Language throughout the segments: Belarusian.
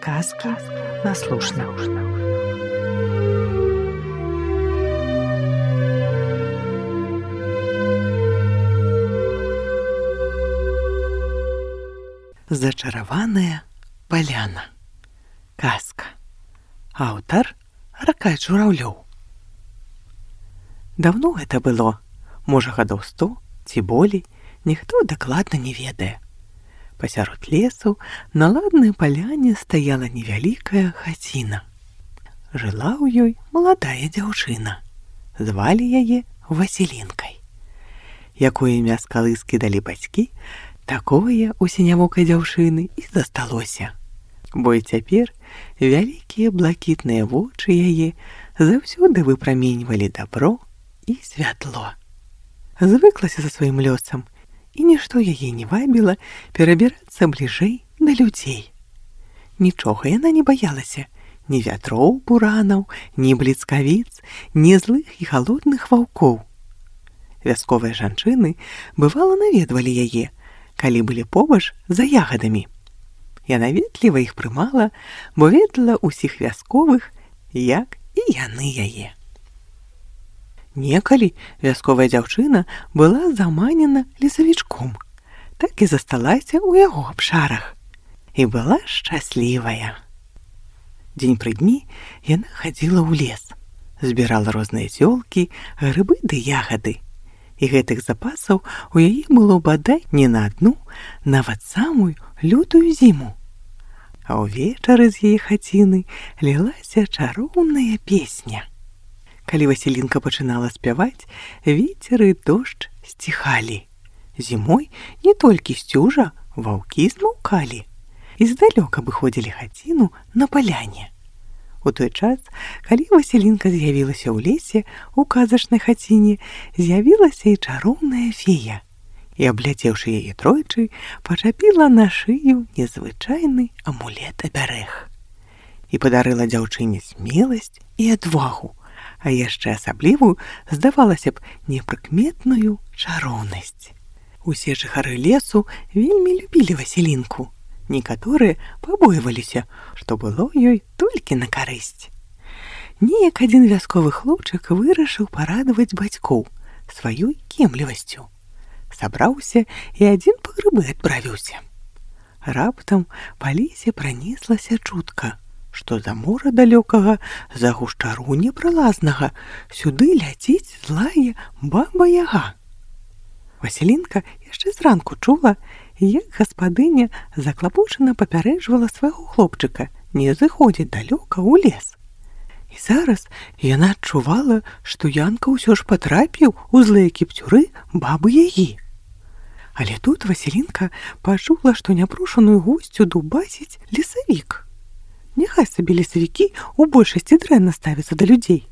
Казки на слушна. Зачараваная паляна. Казка. Аўтар Аркадзь Жураўлёў. Даўно гэта было, можа, гадоў 100 ці болей, ніхто дакладна не ведае. Пасярод лесу на ладнай паляне стаяла невялікая хаціна. Жыла ў ёй маладая дзяўчына. Звалі яе Васілінкай. Якое імя з калыскі далі бацькі, такое у сінявокай дзяўчыны і засталося. Бо і цяпер вялікія блакітныя вочы яе заўсёды выпраменьвалі дабро і святло. Звыклася за сваім лёсам, і нішто яе не вабіла перабірацца бліжэй да людзей. Нічога яна не баялася, ні вятроў, буранаў, ні бліцкавіц, ні злых і галодных ваўкоў. Вясковыя жанчыны бывала наведвалі яе, калі былі побач за ягадамі. Яна ветліва іх прымала, бо ведала ўсіх вясковых, як і яны яе. Некалі вясковая дзяўчына была заманена лесавічком, так і засталася ў яго абшарах. І была шчаслівая. Дзень пры дні яна хадзіла ў лес, збірала розныя зёлкі, грыбы ды ягады. І гэтых запасаў у яе было бадай не на адну, нават самую лютую зіму. А ўвечары з яе хаціны лілася чароўная песня. Калі Васілінка пачынала спяваць, вецер і дождж сціхалі. Зімой не толькі сцюжа, ваўкі змаўкалі і здалёк абыходзілі хаціну на паляне. У той час, калі Васілінка з'явілася ў лесе, у казачнай хаціне, з'явілася і чароўная фея. І, абляцеўшы яе тройчы, пачапіла на шыю незвычайны амулет-абярэг. І падарыла дзяўчыне смеласць і адвагу, а яшчэ асаблівую, здавалася б, непрыкметную чароўнасць. Усе жыхары лесу вельмі любілі Васілінку. Некаторыя пабойваліся, што было ёй толькі на карысць. Неяк адзін вясковы хлопчык вырашыў парадаваць бацькоў сваёй кемлівасцю. Сабраўся і адзін па грыбы адправіўся. Раптам па лесе пранеслася чутка, што за мора далёкага, за гушчару непралазнага, сюды ляціць злая баба-яга. Васілінка яшчэ зранку чула, як гаспадыня заклапочана папярэджвала свайго хлопчыка не зыходзіць далёка ў лес. І зараз яна адчувала, што Янка ўсё ж патрапіў у злыя кіпцюры бабы-ягі. Але тут Васілінка пачула, што няпрошаную госцю дубасіць лесавік. Няхай сабе лесавікі ў большасці дрэнна ставяцца да людзей.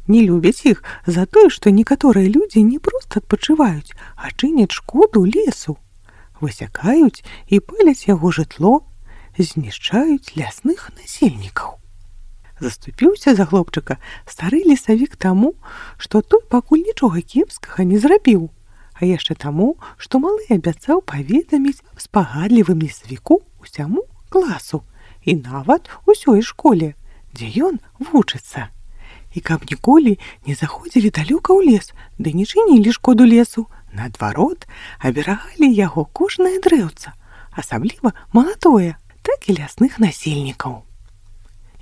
Не любяць іх за тое, што некаторыя людзі не проста адпачываюць, а чыняць шкоду лесу. Высякаюць і паляць яго жытло, знішчаюць лясных насельнікаў. Заступіўся за хлопчыка стары лесавік таму, што той пакуль нічога кепскага не зрабіў, а яшчэ таму, што малы абяцаў паведаміць спагадлівым лесавіку ўсяму класу і нават усёй школе, дзе ён вучыцца. І каб ніколі не заходзілі далёка ў лес, ды не чынілі шкоду лесу, наадварот, аберагалі яго кожнае дрэўца, асабліва маладое, так і лясных насельнікаў.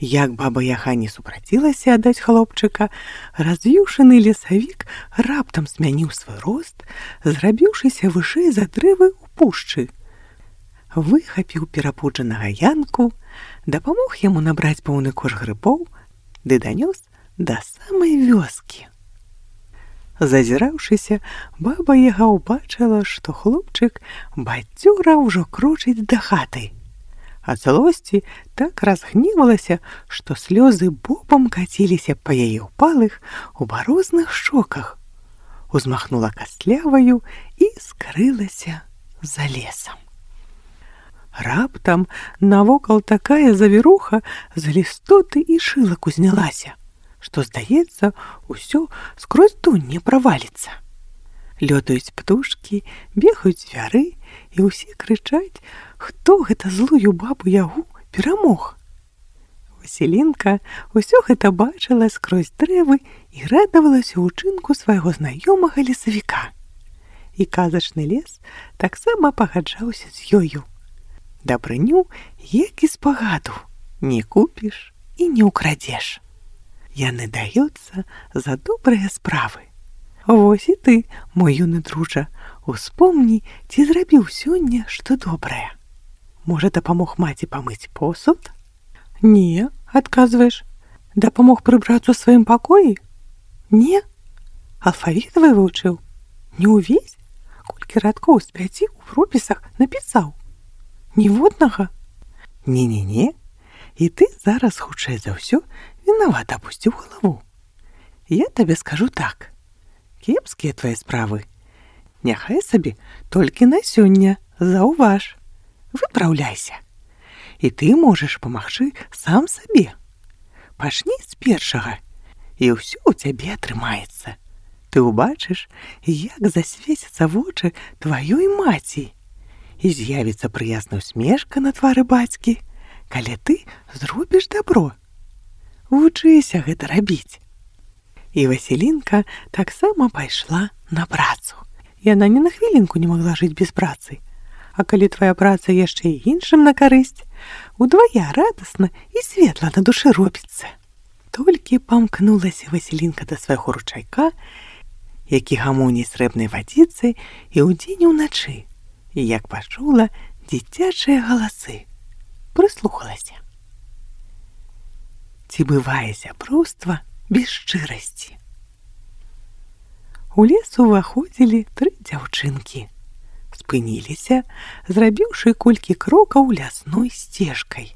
Як баба-яга не супрацілася аддаць хлопчыка, развіўшаны лесавік раптам змяніў свой рост, зрабіўшыся вышэй за дрэвы ў пушчы. Выхапіў перапуджанага Янку, дапамог яму набраць поўны кош грыбоў, ды данёс да самай вёскі. Зазіраўшыся, баба-яга ўбачыла, што хлопчык бадзёра ўжо крочыць да хаты. Ад злосці так разгневалася, што слёзы бобам каціліся па яе ўпалых, убарозных шчоках. Узмахнула кастляваю і скрылася за лесам. Раптам навокал такая завіруха з лістоты і шылак узнялася, што, здаецца, усё скрозь дунь не праваліцца. Лётаюць птушкі, бегаюць звяры, і ўсе крычаць, хто гэта злую бабу-ягу перамог, Васілінка ўсё гэта бачыла скрозь дрэвы і радавалася ўчынку свайго знаёмага лесавіка. І казачны лес таксама пагаджаўся з ёю. Дабрыню, як і спагаду, не купіш і не ўкрадзеш. Яны даюцца за добрыя справы. Вось і ты, мой юны дружа, успомні, ці зрабіў сёння што добрае. Можа, дапамог маці памыць посуд? Не, адказваеш. Дапамог прыбрацца ў сваім пакоі? Не. Алфавіт вывучыў? Не ўвесь? Колькі радкоў з 5 у рукапісах напісаў? Ніводнага? Не-не-не. І ты зараз, хутчэй за ўсё, вінавата апусціў галаву. Я табе скажу так. Кепскія твае справы. Няхай сабе толькі на сёння, заўваж. Выпраўляйся. І ты можаш памагчы сам сабе. Пачні з першага, і ўсё ў цябе атрымаецца. Ты ўбачыш, як засвецяцца вочы тваёй маці, і з'явіцца прыязная усмешка на твары бацькі, калі ты зробіш дабро. Вучыся гэта рабіць. І Васілінка таксама пайшла на працу. Яна ні на хвілінку не магла жыць без працы. А калі твая праца яшчэ і іншым на карысць, удвая радасна і светла на душы робіцца. Толькі памкнулася Васілінка да свайго ручайка, які гамоніць срэбнай вадзіцай і ўдзень і ўначы, і як пачула дзіцячыя галасы, прыслухалася. Ці бывае сяброўства без шчырасці? У лес уваходзілі 3 дзяўчынкі. Спыніліся, зрабіўшы колькі крокаў лясной сцежкай.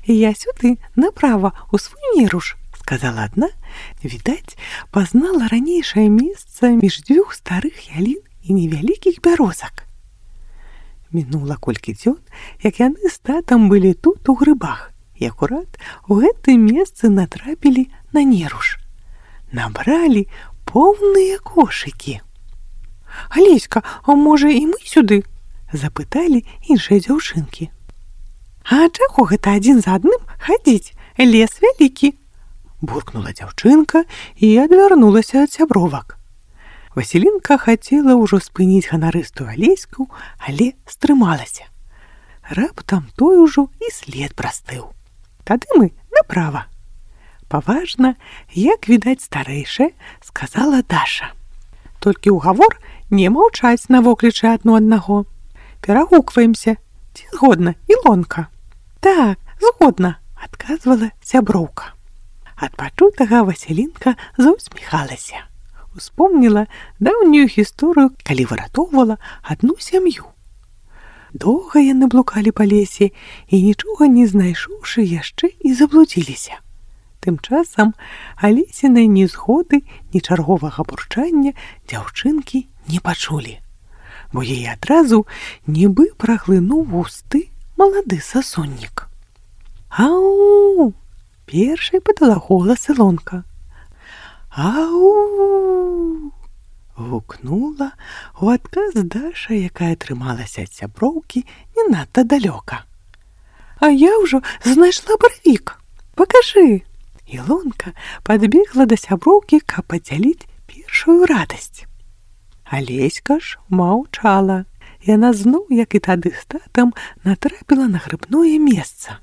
«Я сюды, направа, у свой неруш», — сказала адна. Відаць, пазнала ранейшае месца між 2 старых ялін і невялікіх бярозак. Мінула колькі дзён, як яны з татам былі тут у грыбах, і акурат у гэтым месцы натрапілі на неруш. Набралі поўныя кошыкі. «Алеська, а можа і мы сюды?» — запыталі іншыя дзяўчынкі. «А чаго гэта адзін за адным хадзіць? Лес вялікі!» — буркнула дзяўчынка і адвярнулася ад сябровак. Васілінка хацела ўжо спыніць ганарыстую Алеську, але стрымалася. Раптам той ужо і след прастыў. «Тады мы направа». Паважна, як відаць старэйшая, сказала Даша. «Толькі ўгавор не маўчаць на воклічы адно аднаго. Перагукваемся. Ці згодна, Ілонка?» «Так, згодна», — адказвала сяброўка. Ад пачутага Васілінка заўсміхалася. Успомніла даўнюю гісторыю, калі выратоўвала адну сям'ю. Доўга яны блукалі па лесе і, нічога не знайшоўшы, яшчэ і заблудзіліся. Тым часам Алесінай ні згоды, ні чарговага бурчання дзяўчынкі не пачулі, бо яе адразу нібы праглынуў густы малады сасоннік. «Ау!» — першай падала голас Ілонка. «Ау!» — гукнула ў адказ Даша, якая трымалася ад сяброўкі не надта далёка. «А я ўжо знайшла барвік. Пакажы!» Ілонка падбегла да сяброўкі, каб падзяліць першую радасць. Алеська ж маўчала. Яна зноў, як і тады з татам, натрапіла на грыбное месца.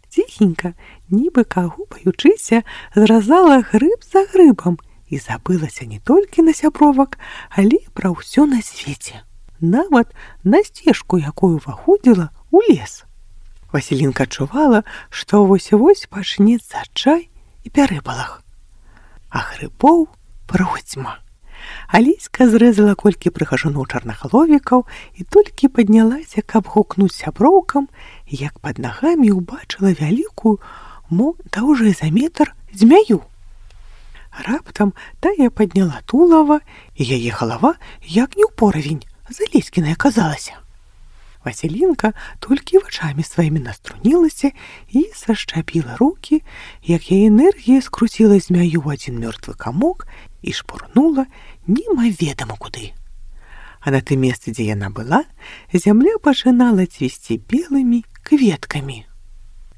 Ціхенька, нібы каго баючыся, зразала грыб за грыбам і забылася не толькі на сябровак, але пра ўсё на свеце. Нават на сцежку, якую ўваходзіла ў лес. Васілінка адчувала, што вось-вось пачнецца чай і пярэбалах. А грыбоў процьма. Алеська зрэзала колькі прыгажуноў чарнагаловікаў і толькі паднялася, каб гукнуць сяброўкам, як пад нагамі ўбачыла вялікую, мо даўжэй за метр, змяю. Раптам тая падняла тулава, і яе галава, як не ў поравень, з Алеськінай аказалася. Васілінка толькі вачамі сваімі наструнілася і сашчапіла рукі, як яе энергія скруціла змяю ў адзін мёртвы камок і шпурнула немаведама куды. А на тым месцы, дзе яна была, зямля пачынала цвісці белымі кветкамі.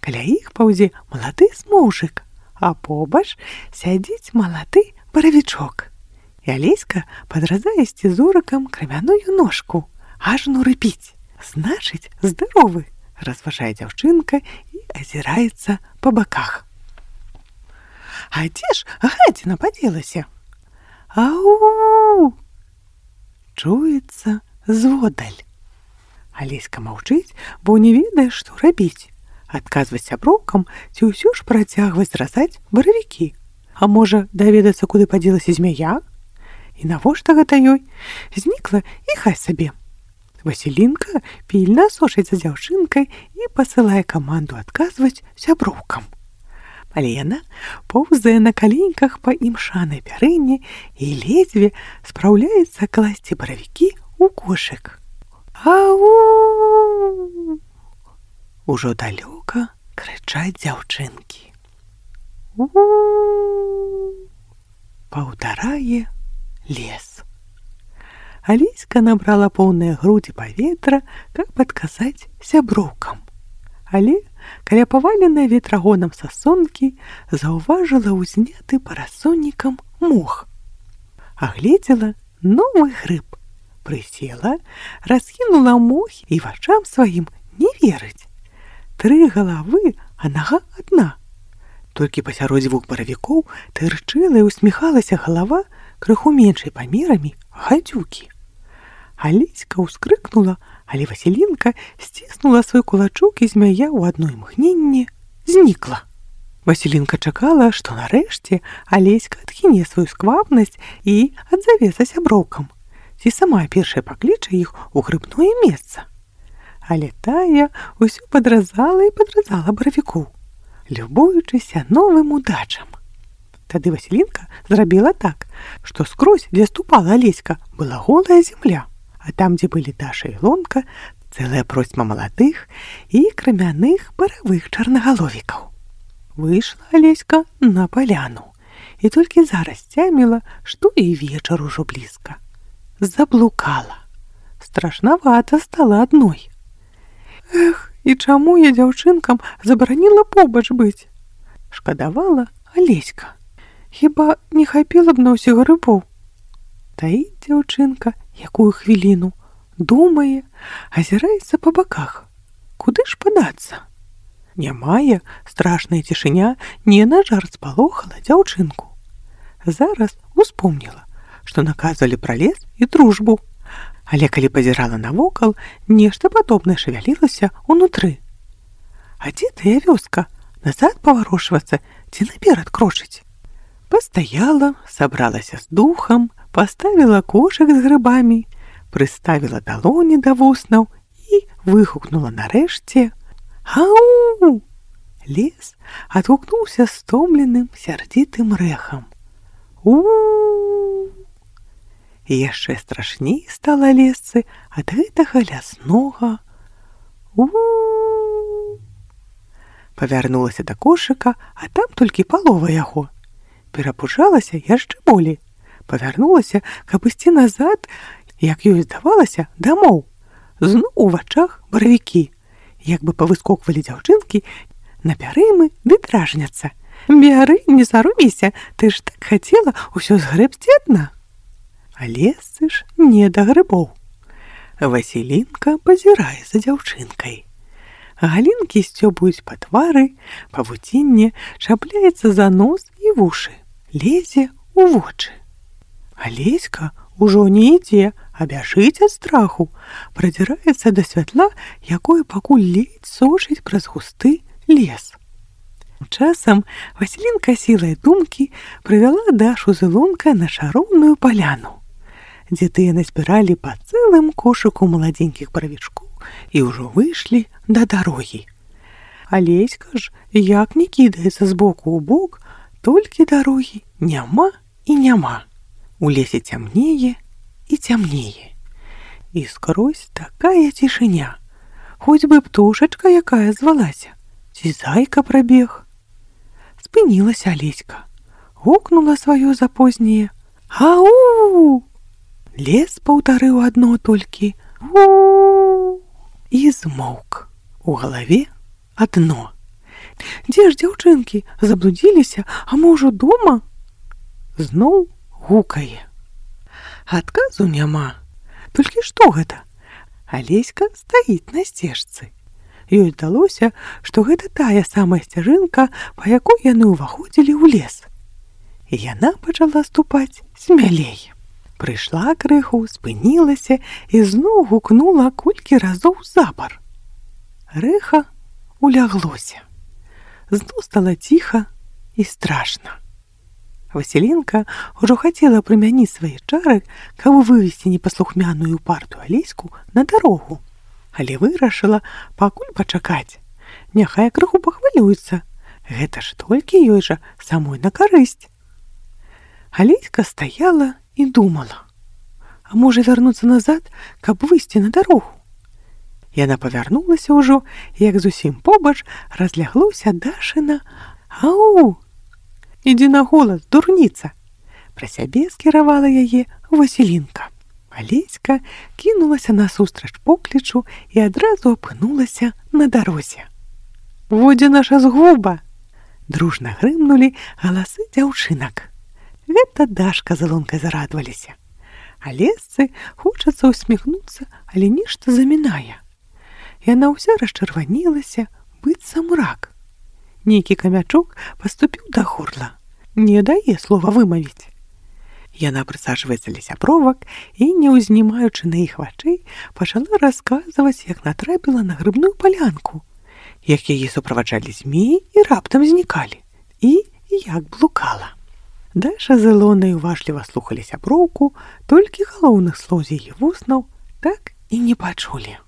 Каля іх паўзе малады смоўжык, а побач сядзіць малады баравічок. І Алеська падразае сцізорыкам крамяную ножку, ажно рыпіць. Значыць, здаровы, разважае дзяўчынка і азіраецца па баках. А дзе ж гадзіна падзелася? Ау! Чуецца зводдаль. Алеська маўчыць, бо не ведае, што рабіць. Адказваць сяброўкам ці ўсё ж працягваць зразаць баравікі. А можа, даведацца, куды падзелася змяя? І навошта гэта ёй? Знікла і хай сабе. Васілінка пільна сочыць за дзяўчынкай і пасылае каманду адказваць сяброўкам. Але яна поўзае на каленьках па імшанай пярыне і ледзьве спраўляецца класці баравікі ў кошык. Ау! Ужо далёка крычаць дзяўчынкі. Паўтарае лес. Алеська набрала поўныя грудзі паветра, каб адказаць сяброўкам. Але, каля паваленай ветрагонам сасонкі, заўважыла ўзняты парасоннікам мох. Агледзела новы грыб. Прысела, раскінула мох і вачам сваім не верыць. 3 галавы, а нага адна. Толькі пасярод 2 баравікоў тырчэла і усміхалася галава крыху меншай памерамі гадзюкі. Алеська ўскрыкнула, але Васілінка сціснула свой кулачок, і змяя ў адно імгненне знікла. Васілінка чакала, што нарэшце Алеська адхіне сваю сквапнасць і адзавецца сяброўкам, ці сама першая пакліча іх у грыбное месца. Але тая ўсё падразала і падразала баравікоў, любуючыся новым удачам. Тады Васілінка зрабіла так, што скрозь, дзе ступала Алеська, была голая зямля, а там, дзе былі Даша і Лонка, цэлая процьма маладых і крамяных баравых чарнагаловікаў. Выйшла Алеська на паляну і толькі зараз цяміла, што і вечар ужо блізка. Заблукала. Страшнавата стала адной. Эх, і чаму я дзяўчынкам забараніла побач быць? Шкадавала Алеська. Хіба не хапіла б на ўсіх грыбоў? Таіць дзяўчынка якую хвіліну, думае, азіраецца па баках. Куды ж падацца? Нямая страшная цішыня не на жарт спалохала дзяўчынку. Зараз успомніла, што наказвалі пра лес і дружбу. Але калі пазірала навокал, нешта падобнае шавялілася ўнутры. А дзе тая вёска? Назад паварошвацца ці наперад крочыць? Пастаяла, сабралася з духам, паставіла кошык з грыбамі, прыставіла далоні да вуснаў і выгукнула нарэшце: «Ау!» Лес адгукнуўся стомленым, сярдзітым рэхам. У-у-у! І яшчэ страшней стала лесцы ад гэтага ляснога у-у-у. Павярнулася да кошыка, а там толькі палова яго. Перапужалася яшчэ болей. Павярнулася, каб ісці назад, як ёй здавалася, дамоў. Зноў у вачах баравікі. Як бы павыскоквалі дзяўчынкі на пярымы ды дражняцца. «Бяры, не саромейся, ты ж так хацела ўсё згрэбсці адна». А лесцы ж не да грыбоў. Васілінка пазірае за дзяўчынкай. Галінкі сцёбуюць па твары, павуцінне чапляецца за нос і вушы, лезе ў вочы. Алеська ўжо не ідзе, а бяжыць ад страху, прадзіраецца да святла, якое пакуль ледзь сочыць праз густы лес. Часам Васілінка сілай думкі прывяла Дашу з Ілонкай на шароўную паляну, дзе тыя назбіралі па цэлым кошыку маладзенькіх баравічкоў і ўжо выйшлі да дарогі. Алеська ж як не кідаецца з боку ў бок, толькі дарогі няма і няма. У лесе цямнее і цямнее. І скрозь такая цішыня. Хоць бы птушачка якая звалася, ці зайка прабег. Спынілася Алеська, гукнула сваё запознее: «Ау!» Лес паўтарыў адно толькі «у» і змоўк. У галаве адно: Дзе ж дзяўчынкі? Заблудзіліся, а мо ўжо дома? Зноў гукае. Адказу няма. Толькі што гэта? Алеська стаіць на сцежцы. Ёй здалося, што гэта тая самая сцяжынка, па якой яны ўваходзілі ў лес. І яна пачала ступаць смялей. Прыйшла крыху, спынілася і зноў гукнула колькі разоў запар. Рэха уляглося. Зноў стала ціха і страшна. Васілінка ўжо хацела прымяніць свае чары, каб вывесці непаслухмяную і упартую Алеську на дарогу, але вырашыла пакуль пачакаць. Няхай крыху пахвалюецца. Гэта ж толькі ёй жа самой на карысць. Алеська стаяла і думала, а можа вярнуцца назад, каб выйсці на дарогу. Яна павярнулася ўжо, як зусім побач разляглося Дашына «Ау! Ідзі на голас, дурніца!» Пра сябе скіравала яе Васілінка. Алеська кінулася насустрач поклічу і адразу апынулася на дарозе. «Во дзе наша згуба!» Дружна грымнулі галасы дзяўчынак. Гэта Дашка з Илонкай зарадаваліся. Алесцы хочацца ўсміхнуцца, але нешта замінае. Яна ўся расчырванілася, быццам рак. Нейкі камячок паступіў да горла. Не дае слова вымавіць. Яна прысаджваецца ля сябровак і, не ўзнімаючы на іх вачэй, пачала расказваць, як натрапіла на грыбную палянку, як яе суправаджалі змеі і раптам знікалі, і як блукала. Даша з Ілонай уважліва слухалі сяброўку, толькі галоўных слоў з яе вуснаў так і не пачулі.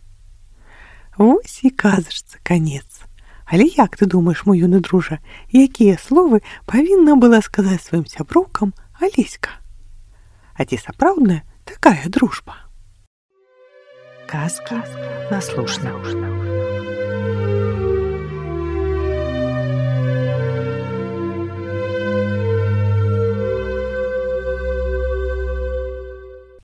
Вось і казачцы канец. Але як ты думаеш, мой юны дружа, якія словы павінна была сказаць сваім сяброўкам Алеська? А ці сапраўдная такая дружба? Казки на слушна.